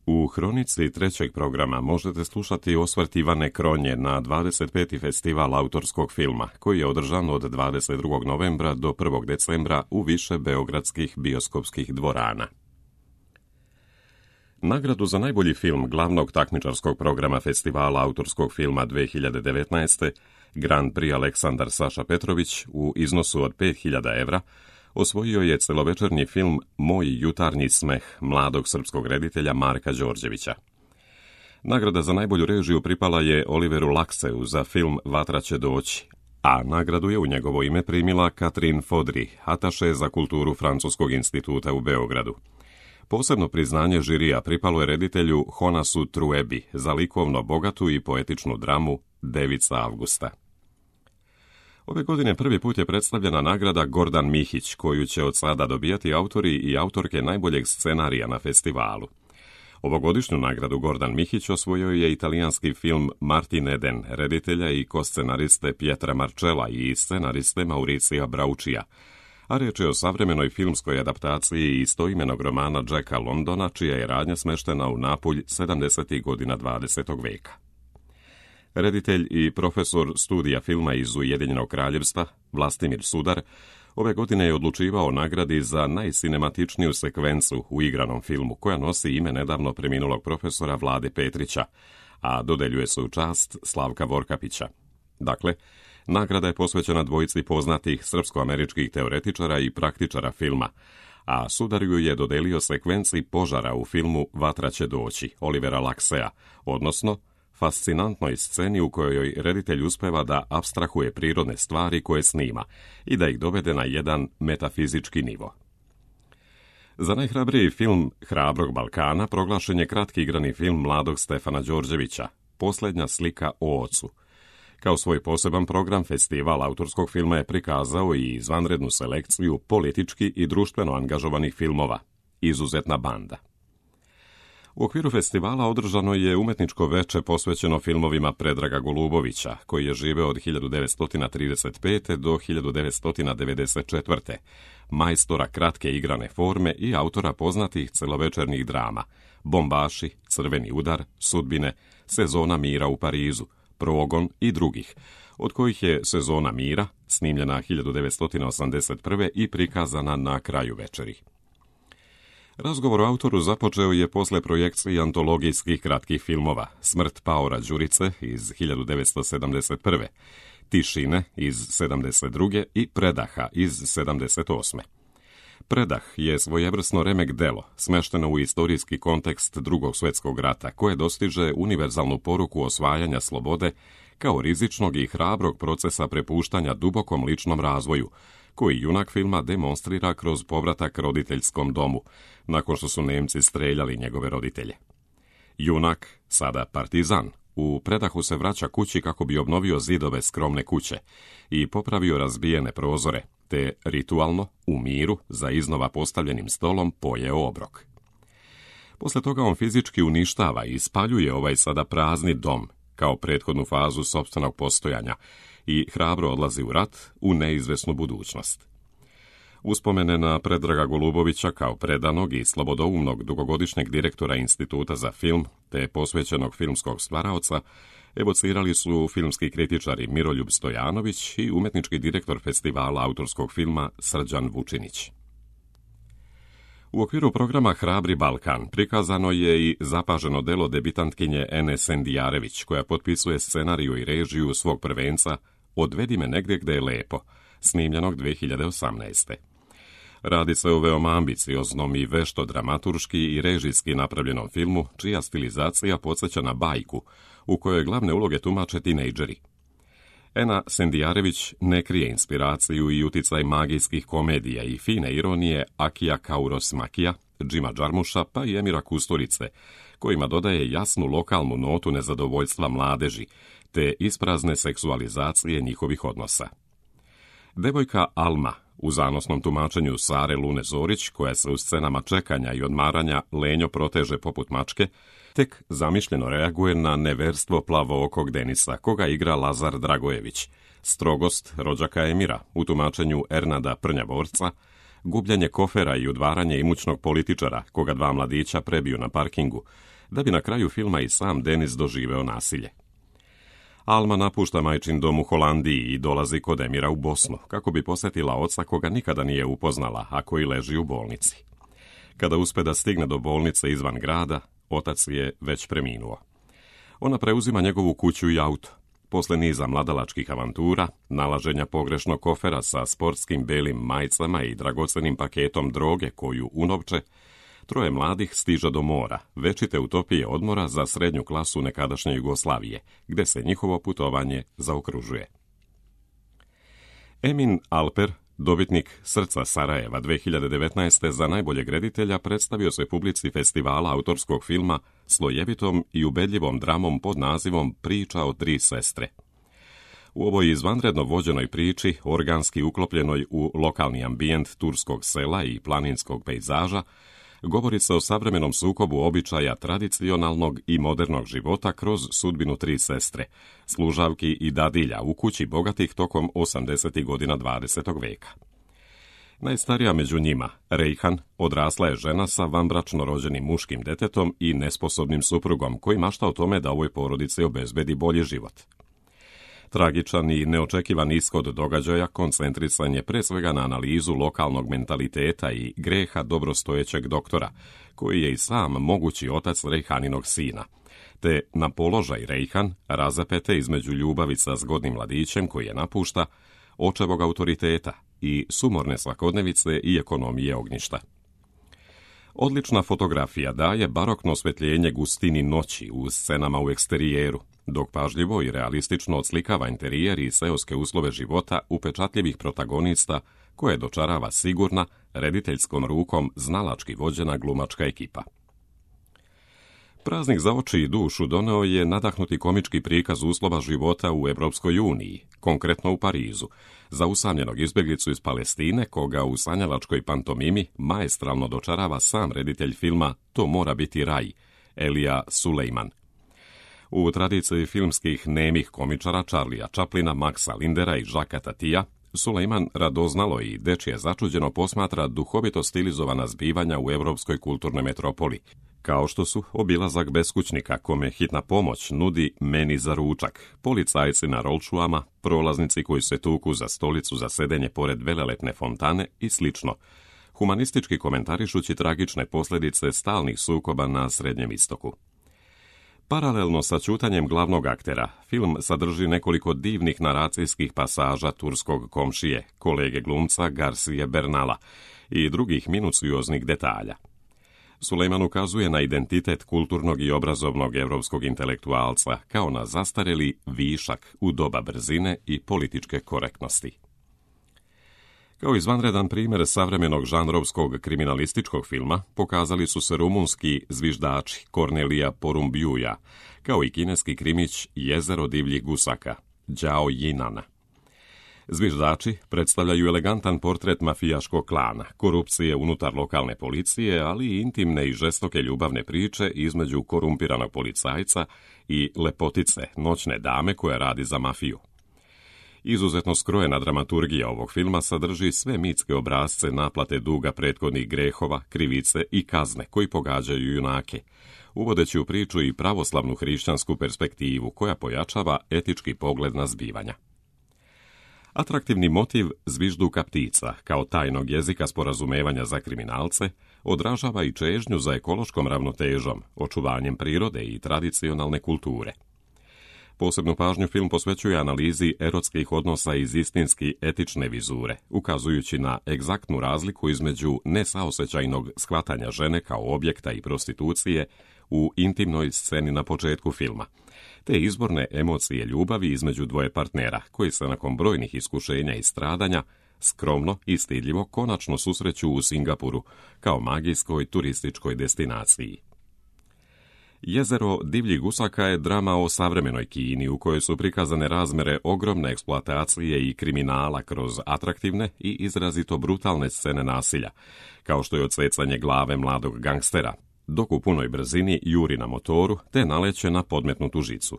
U hronici trećeg programa možete slušati osvrt Ivane Kronje na 25. festival autorskog filma, koji je održan od 22. novembra do 1. decembra u više beogradskih bioskopskih dvorana. Nagradu za najbolji film glavnog takmičarskog programa festivala autorskog filma 2019. Grand Prix Aleksandar Saša Petrović u iznosu od 5.000 evra osvojio je celovečernji film Moj jutarnji smeh mladog srpskog reditelja Marka Đorđevića. Nagrada za najbolju režiju pripala je Oliveru Lakseu za film Vatra će doći, a nagradu je u njegovo ime primila Catherine Fodry, ataše za kulturu Francuskog instituta u Beogradu. Posebno priznanje žirija pripalo je reditelju Honasu Truebi za likovno bogatu i poetičnu dramu Devica Avgusta. Ove godine prvi put je predstavljena nagrada Gordan Mihić, koju će od sada dobijati autori i autorke najboljeg scenarija na festivalu. Ovogodišnju nagradu Gordan Mihić osvojio je italijanski film Martin Eden, reditelja i koscenariste Pietra Marcella i scenariste Mauricija Braučija, a reč je o savremenoj filmskoj adaptaciji istoimenog romana Jacka Londona, čija je radnja smeštena u Napulj 70. godina 20. veka. Reditelj i profesor studija filma iz Ujedinjenog kraljevstva, Vlastimir Sudar, ove godine je odlučivao o nagradi za najsinematičniju sekvencu u igranom filmu, koja nosi ime nedavno preminulog profesora Vlade Petrića, a dodeljuje se u čast Slavka Vorkapića. Dakle, nagrada je posvećena dvojici poznatih srpsko-američkih teoretičara i praktičara filma, a Sudar ju je dodelio sekvenciji požara u filmu Vatra će doći, Olivera Laksea, odnosno fascinantnoj sceni u kojoj reditelj uspeva da apstrahuje prirodne stvari koje snima i da ih dovede na jedan metafizički nivo. Za najhrabriji film Hrabrog Balkana proglašen je kratki igrani film mladog Stefana Đorđevića, Posljednja slika o ocu. Kao svoj poseban program, festival autorskog filma je prikazao i izvanrednu selekciju politički i društveno angažovanih filmova, Izuzetna banda. U okviru festivala održano je umetničko veče posvećeno filmovima Predraga Golubovića, koji je živeo od 1935. do 1994. Majstora kratke igrane forme i autora poznatih celovečernih drama Bombaši, Crveni udar, Sudbine, Sezona mira u Parizu, Progon i drugih, od kojih je Sezona mira snimljena 1981. i prikazana na kraju večeri. Razgovor o autoru započeo je posle projekcije antologijskih kratkih filmova Smrt Paora Đurice iz 1971., Tišine iz 72. i Predaha iz 78. Predah je svojevrsno remek delo, smešteno u istorijski kontekst Drugog svjetskog rata, koje dostiže univerzalnu poruku osvajanja slobode kao rizičnog i hrabrog procesa prepuštanja dubokom ličnom razvoju, koji junak filma demonstrira kroz povratak roditeljskom domu, nakon što su Nemci streljali njegove roditelje. Junak, sada partizan, u Predahu se vraća kući kako bi obnovio zidove skromne kuće i popravio razbijene prozore, te ritualno, u miru, za iznova postavljenim stolom pojeo obrok. Posle toga on fizički uništava i spaljuje ovaj sada prazni dom, kao prethodnu fazu sopstvenog postojanja, i hrabro odlazi u rat, u neizvesnu budućnost. Uspomene na Predraga Golubovića kao predanog i slobodoumnog dugogodišnjeg direktora Instituta za film, te posvećenog filmskog stvaraoca, evocirali su filmski kritičari Miroljub Stojanović i umetnički direktor festivala autorskog filma Srđan Vučinić. U okviru programa Hrabri Balkan prikazano je i zapaženo delo debitantkinje Ene Sendijarević, koja potpisuje scenariju i režiju svog prvenca Odvedi me negdje gde je lepo, snimljenog 2018. Radi se o veoma ambicioznom i vešto dramaturški i režijski napravljenom filmu, čija stilizacija podsjeća na bajku, u kojoj glavne uloge tumače tinejdžeri. Ena Sendijarević ne krije inspiraciju i uticaj magijskih komedija i fine ironije Akija Kauros-Makija, Džima Džarmuša pa i Emira Kusturice, kojima dodaje jasnu lokalnu notu nezadovoljstva mladeži, te isprazne seksualizacije njihovih odnosa. Devojka Alma, u zanosnom tumačenju Sare Lune Zorić, koja se u scenama čekanja i odmaranja lenjo proteže poput mačke, tek zamišljeno reaguje na neverstvo plavookog Denisa, koga igra Lazar Dragojević, strogost rođaka Emira u tumačenju Ernada Prnjavorca, gubljenje kofera i udvaranje imućnog političara, koga dva mladića prebiju na parkingu, da bi na kraju filma i sam Denis doživeo nasilje. Alma napušta majčin dom u Holandiji i dolazi kod Emira u Bosnu, kako bi posjetila oca koga nikada nije upoznala, a koji leži u bolnici. Kada uspe da stigne do bolnice izvan grada, otac je već preminuo. Ona preuzima njegovu kuću i auto. Posle niza mladalačkih avantura, nalaženja pogrešnog kofera sa sportskim belim majicama i dragocenim paketom droge koju unovče, troje mladih stiže do mora, večite utopije odmora za srednju klasu nekadašnje Jugoslavije, gde se njihovo putovanje zaokružuje. Emin Alper, dobitnik Srca Sarajeva 2019. za najboljeg reditelja, predstavio se publici festivala autorskog filma slojevitom i ubedljivom dramom pod nazivom Priča o tri sestre. U ovoj izvanredno vođenoj priči, organski uklopljenoj u lokalni ambijent turskog sela i planinskog pejzaža, govori se o savremenom sukobu običaja tradicionalnog i modernog života kroz sudbinu tri sestre, služavki i dadilja u kući bogatih tokom 80. godina 20. veka. Najstarija među njima, Rejhan, odrasla je žena sa vanbračno rođenim muškim detetom i nesposobnim suprugom koji mašta o tome da ovoj porodici obezbedi bolji život. Tragičan i neočekivan ishod događaja koncentrisan je pre svega na analizu lokalnog mentaliteta i greha dobrostojećeg doktora, koji je i sam mogući otac Rejhaninog sina, te na položaj Rejhan razapete između ljubavi sa zgodnim mladićem koji je napušta, očevog autoriteta i sumorne svakodnevice i ekonomije ognjišta. Odlična fotografija daje barokno osvetljenje gustini noći u scenama u eksterijeru, dok pažljivo i realistično odslikava interijer i seoske uslove života upečatljivih protagonista koje dočarava sigurna, rediteljskom rukom znalački vođena glumačka ekipa. Praznik za oči i dušu doneo je nadahnuti komički prikaz uslova života u Evropskoj uniji, konkretno u Parizu, za usamljenog izbjeglicu iz Palestine, koga u sanjalačkoj pantomimi maestralno dočarava sam reditelj filma To mora biti raj, Elija Sulejman. U tradiciji filmskih nemih komičara Charlija Chaplina, Maxa Lindera i Jacquesa Tatija, Sulejman radoznalo i dečije začuđeno posmatra duhovito stilizovana zbivanja u evropskoj kulturnoj metropoli, kao što su obilazak beskućnika kome hitna pomoć nudi meni za ručak, policajci na rolčuama, prolaznici koji se tuku za stolicu za sedenje pored velelepne fontane i slično, humanistički komentarišući tragične posljedice stalnih sukoba na Srednjem istoku. Paralelno sa ćutanjem glavnog aktera, film sadrži nekoliko divnih naracijskih pasaža turskog komšije, kolege glumca Garcije Bernala i drugih minucioznih detalja. Sulejman ukazuje na identitet kulturnog i obrazovnog evropskog intelektualca kao na zastareli višak u doba brzine i političke korektnosti. Kao izvanredan primjer savremenog žanrovskog kriminalističkog filma pokazali su se rumunski zviždači Kornelija Porumbiuja, kao i kineski krimić Jezero divljih gusaka, Đao Jinana. Zviždači predstavljaju elegantan portret mafijaškog klana, korupcije unutar lokalne policije, ali i intimne i žestoke ljubavne priče između korumpiranog policajca i lepotice, noćne dame koja radi za mafiju. Izuzetno skrojena dramaturgija ovog filma sadrži sve mitske obrasce naplate duga prethodnih grehova, krivice i kazne koji pogađaju junake, uvodeći u priču i pravoslavnu hrišćansku perspektivu koja pojačava etički pogled na zbivanja. Atraktivni motiv zvižduka ptica, kao tajnog jezika sporazumevanja za kriminalce, odražava i čežnju za ekološkom ravnotežom, očuvanjem prirode i tradicionalne kulture. Posebnu pažnju film posvećuje analizi erotskih odnosa iz istinski etične vizure, ukazujući na egzaktnu razliku između nesaosećajnog shvatanja žene kao objekta i prostitucije u intimnoj sceni na početku filma, te izborne emocije ljubavi između dvoje partnera, koji se nakon brojnih iskušenja i stradanja skromno i stidljivo konačno susreću u Singapuru kao magijskoj turističkoj destinaciji. Jezero divljih gusaka je drama o savremenoj Kini u kojoj su prikazane razmere ogromne eksploatacije i kriminala kroz atraktivne i izrazito brutalne scene nasilja, kao što je odsecanje glave mladog gangstera, dok u punoj brzini juri na motoru te naleće na podmetnutu žicu.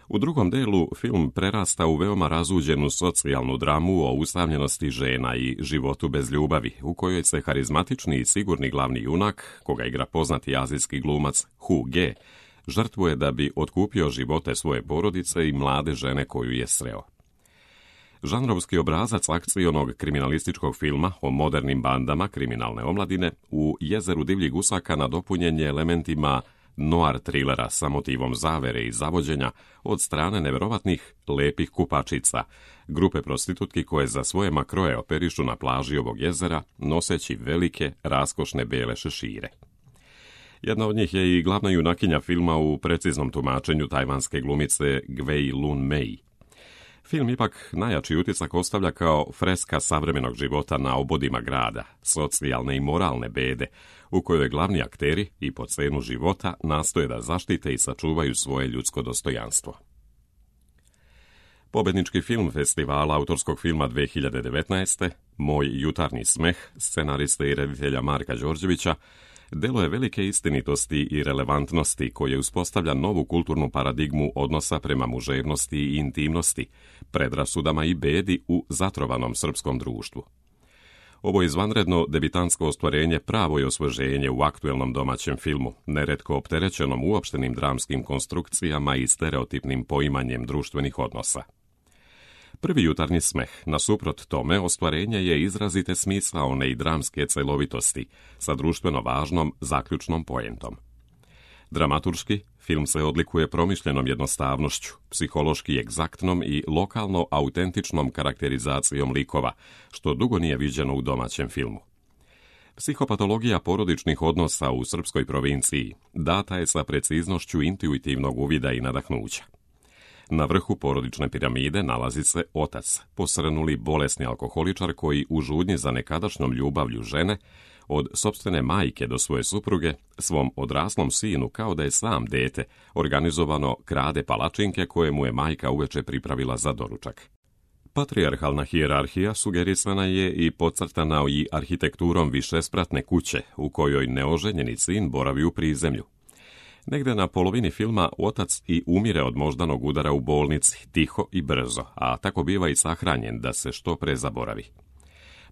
U drugom delu film prerasta u veoma razuđenu socijalnu dramu o usamljenosti žena i životu bez ljubavi, u kojoj se harizmatični i sigurni glavni junak, koga igra poznati azijski glumac Hu Ge, žrtvuje da bi otkupio živote svoje porodice i mlade žene koju je sreo. Žanrovski obrazac akcionog kriminalističkog filma o modernim bandama kriminalne omladine u Jezeru divljih gusaka nadopunjen je elementima noir trilera sa motivom zavere i zavođenja od strane neverovatnih lepih kupačica, grupe prostitutki koje za svoje makroje operišu na plaži ovog jezera, noseći velike, raskošne bele šešire. Jedna od njih je i glavna junakinja filma u preciznom tumačenju tajvanske glumice Gwei Lun Mei. Film ipak najjači utisak ostavlja kao freska savremenog života na obodima grada, socijalne i moralne bede, u kojoj glavni akteri i po cenu života nastoje da zaštite i sačuvaju svoje ljudsko dostojanstvo. Pobednički film festivala autorskog filma 2019. Moj jutarnji smeh, scenariste i reditelja Marka Đorđevića, delo je velike istinitosti i relevantnosti koje uspostavlja novu kulturnu paradigmu odnosa prema muževnosti i intimnosti, predrasudama i bedi u zatrovanom srpskom društvu. Ovo izvanredno debitansko ostvarenje pravo je osveženje u aktuelnom domaćem filmu, neretko opterećenom uopštenim dramskim konstrukcijama i stereotipnim poimanjem društvenih odnosa. Prvi jutarnji smeh, nasuprot tome, ostvarenje je izrazite smisaone i dramske celovitosti sa društveno važnom zaključnom poentom. Dramaturški, film se odlikuje promišljenom jednostavnošću, psihološki egzaktnom i lokalno autentičnom karakterizacijom likova, što dugo nije viđeno u domaćem filmu. Psihopatologija porodičnih odnosa u srpskoj provinciji data je sa preciznošću intuitivnog uvida i nadahnuća. Na vrhu porodične piramide nalazi se otac, posrnuli bolesni alkoholičar koji u žudnji za nekadašnjom ljubavlju žene, od sopstvene majke do svoje supruge, svom odraslom sinu kao da je sam dete, organizovano krade palačinke koje mu je majka uveče pripravila za doručak. Patrijarhalna hijerarhija sugerisana je i podcrtana i arhitekturom višespratne kuće u kojoj neoženjeni sin boravi u prizemlju. Negde na polovini filma otac i umire od moždanog udara u bolnici, tiho i brzo, a tako biva i sahranjen da se što pre zaboravi.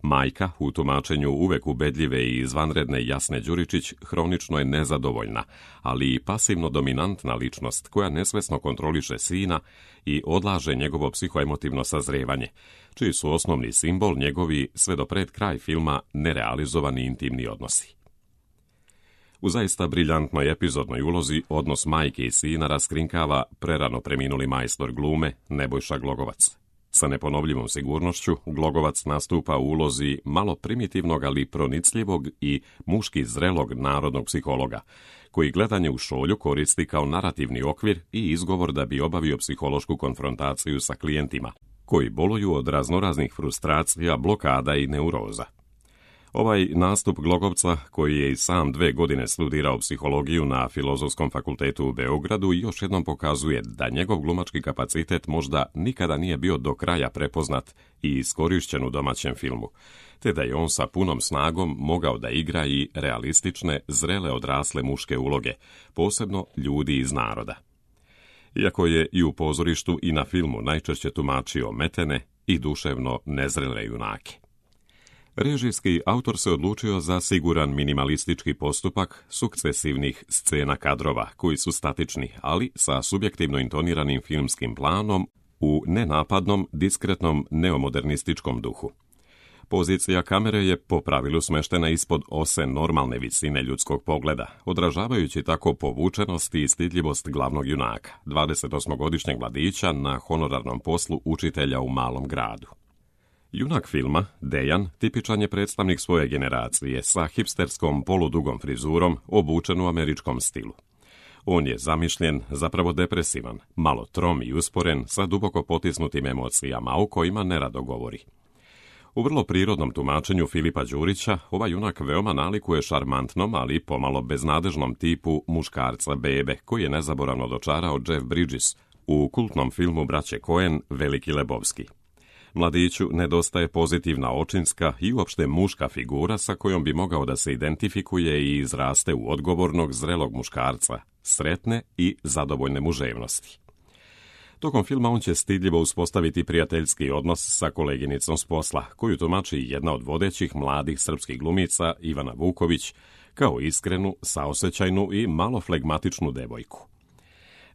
Majka, u tumačenju uvek ubedljive i izvanredne Jasne Đuričić, hronično je nezadovoljna, ali i pasivno dominantna ličnost koja nesvesno kontroliše sina i odlaže njegovo psihoemotivno sazrevanje, čiji su osnovni simbol njegovi sve do pred kraj filma nerealizovani intimni odnosi. U zaista briljantnoj epizodnoj ulozi odnos majke i sina raskrinkava prerano preminuli majstor glume Nebojša Glogovac. Sa neponovljivom sigurnošću Glogovac nastupa u ulozi malo primitivnog, ali pronicljivog i muški zrelog narodnog psihologa, koji gledanje u šolju koristi kao narativni okvir i izgovor da bi obavio psihološku konfrontaciju sa klijentima, koji boluju od raznoraznih frustracija, blokada i neuroza. Ovaj nastup Glogovca, koji je i sam 2 godine studirao psihologiju na Filozofskom fakultetu u Beogradu, još jednom pokazuje da njegov glumački kapacitet možda nikada nije bio do kraja prepoznat i iskorišćen u domaćem filmu, te da je on sa punom snagom mogao da igra i realistične, zrele odrasle muške uloge, posebno ljudi iz naroda. Iako je i u pozorištu i na filmu najčešće tumačio metene i duševno nezrele junake. Režijski autor se odlučio za siguran minimalistički postupak sukcesivnih scena kadrova, koji su statični, ali sa subjektivno intoniranim filmskim planom u nenapadnom, diskretnom, neomodernističkom duhu. Pozicija kamere je po pravilu smeštena ispod ose normalne visine ljudskog pogleda, odražavajući tako povučenost i stidljivost glavnog junaka, 28-godišnjeg mladića na honorarnom poslu učitelja u malom gradu. Junak filma, Dejan, tipičan je predstavnik svoje generacije sa hipsterskom poludugom frizurom, obučen u američkom stilu. On je zamišljen, zapravo depresivan, malo trom i usporen, sa duboko potisnutim emocijama o kojima nerado govori. U vrlo prirodnom tumačenju Filipa Đurića, ovaj junak veoma nalikuje šarmantnom, ali pomalo beznadežnom tipu muškarca bebe, koji je nezaboravno dočarao Jeff Bridges u kultnom filmu braće Coen Veliki Lebovski. Mladiću nedostaje pozitivna očinska i uopšte muška figura sa kojom bi mogao da se identifikuje i izraste u odgovornog, zrelog muškarca, sretne i zadovoljne muževnosti. Tokom filma on će stidljivo uspostaviti prijateljski odnos sa koleginicom s posla, koju tumači jedna od vodećih mladih srpskih glumica, Ivana Vuković, kao iskrenu, saosećajnu i malo flegmatičnu devojku.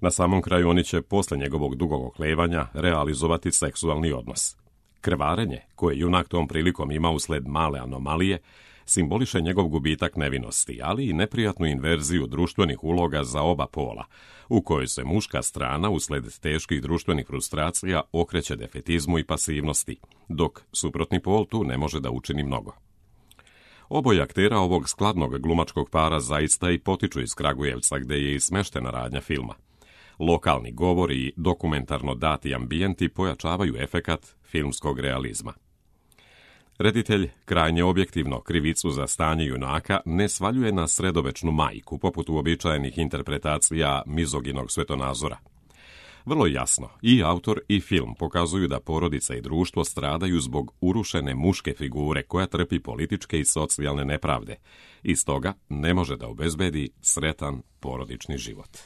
Na samom kraju oni će, posle njegovog dugog oklevanja, realizovati seksualni odnos. Krvarenje, koje junak tom prilikom ima usled male anomalije, simboliše njegov gubitak nevinosti, ali i neprijatnu inverziju društvenih uloga za oba pola, u kojoj se muška strana, usled teških društvenih frustracija, okreće defetizmu i pasivnosti, dok suprotni pol tu ne može da učini mnogo. Oboje aktera ovog skladnog glumačkog para zaista i potiču iz Kragujevca, gde je i smeštena radnja filma. Lokalni govor i dokumentarno dati ambijenti pojačavaju efekat filmskog realizma. Reditelj krajnje objektivno krivicu za stanje junaka ne svaljuje na sredovečnu majku, poput uobičajenih interpretacija mizoginog svetonazora. Vrlo jasno, i autor i film pokazuju da porodica i društvo stradaju zbog urušene muške figure koja trpi političke i socijalne nepravde i stoga ne može da obezbedi sretan porodični život.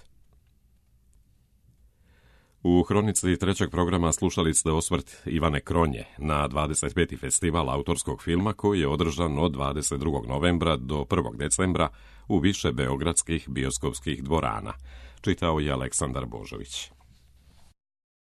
U hronici trećeg programa slušali ste osvrt Ivane Kronje na 25. festival autorskog filma koji je održan od 22. novembra do 1. decembra u više beogradskih bioskopskih dvorana. Čitao je Aleksandar Božović.